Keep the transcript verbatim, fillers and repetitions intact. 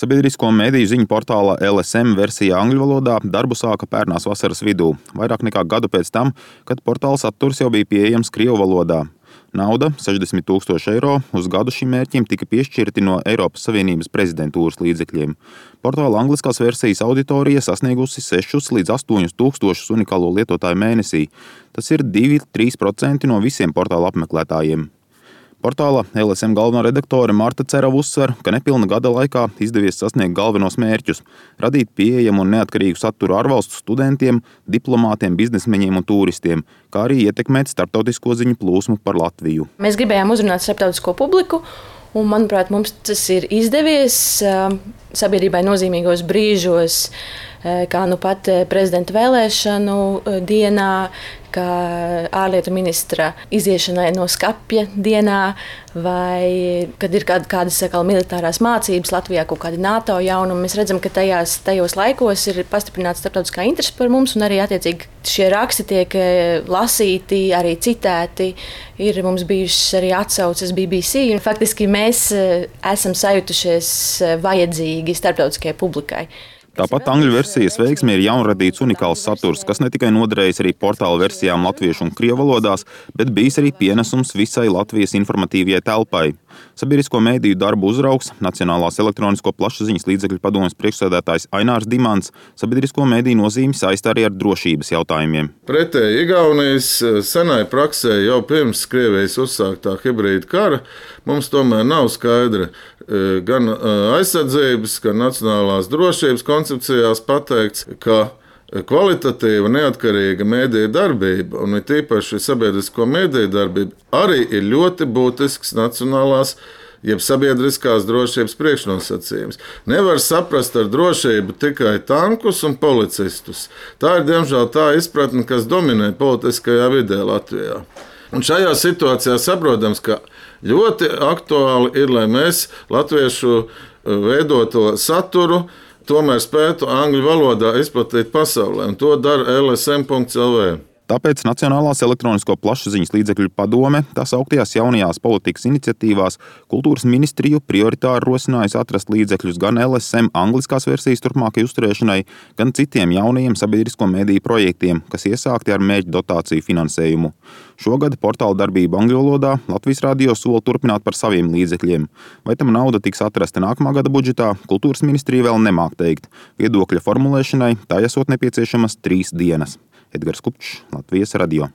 Sabiedrisko mediju ziņu portāla L S M versija angļu valodā darbu sāka pērnās vasaras vidū, vairāk nekā gadu pēc tam, kad portāla saturs jau bija pieejams krievu valodā. Nauda – sešdesmit tūkstoši eiro uz gadu šim mērķim tika piešķirti no Eiropas Savienības prezidentūras līdzekļiem. Portāla angliskās versijas auditorija sasniegusi sešus līdz astoņus tūkstošus unikālo lietotāju mēnesī. Tas ir divi līdz trīs procenti no visiem portāla apmeklētājiem. Portāla L S M galvenā redaktore Marta Cerava uzsver, ka nepilna gada laikā izdevies sasniegt galvenos mērķus – radīt pieejamu un neatkarīgu saturu ārvalstu studentiem, diplomātiem, biznesmeņiem un turistiem, kā arī ietekmēt starptautisko ziņu plūsmu par Latviju. Mēs gribējām uzrunāt starptautisko publiku, un, manuprāt, mums tas ir izdevies sabiedrībai nozīmīgos brīžos, kā nu pat prezidenta vēlēšanu dienā, kā ārlietu ministra iziešanai no skapja dienā, vai kad ir kād, kādas sakal, militārās mācības Latvijā, kaut kādi NATO jaunumi. Mēs redzam, ka tajās, tajos laikos ir pastiprināta starptautiskā interese par mums, un arī attiecīgi šie raksti tiek lasīti, arī citēti. Ir mums bijušas arī atsauces B B C, un faktiski mēs esam sajutušies vajadzīgi starptautiskajai publikai. Tāpat angļu versijas veiksmi ir jaunradīts unikāls saturs, kas ne tikai noderējis arī portāla versijām latviešu un krievu valodās, bet bijis arī pienesums visai Latvijas informatīvajai telpai. Sabiedrisko mediju darbu uzraugs, Nacionālās elektronisko plašsaziņas līdzekļu padomes priekšsēdētājs Ainārs Dimants sabiedrisko mediju nozīmi saista arī ar drošības jautājumiem. Pretēji Igaunijas senai praksē jau pirms Krievijas uzsāktā hibrīda kara mums tomēr nav skaidra gan aizsardzības, gan nacionālās drošības koncepcijās pateikts, ka kvalitatīva, neatkarīga mediju darbība, un it īpaši sabiedrisko mediju darbība, arī ir ļoti būtisks nacionālās, jeb sabiedriskās drošības priekšnosacījums. Nevar saprast ar drošību tikai tankus un policistus. Tā ir, diemžēl, tā izpratne, kas dominē politiskajā vidē Latvijā. Un šajā situācijā saprotams, ka ļoti aktuāli ir, lai mēs latviešu veidoto saturu tomēr spētu angļu valodā izplatīt pasaulē, un to dara L S M punkts L V. Tāpēc Nacionālās elektronisko plašsaziņas līdzekļu padome tās augtajās jaunajās politikas iniciatīvās kultūras ministriju prioritāri rosinājusi atrast līdzekļus gan L S M angliskās versijas turpmākai uzturēšanai, gan citiem jaunajiem sabiedrisko mediju projektiem, kas iesākti ar mērķu dotāciju finansējumu. Šogad portāla darbība angļu valodā Latvijas radio sola turpināt par saviem līdzekļiem. Vai tam nauda tiks atrasta nākamā gada budžetā, kultūras ministrija vēl nemāk teikt. Viedokļa formulēšanai tā esot nepieciešamas trīs dienas. Edgars Kupčs, Latvijas radio.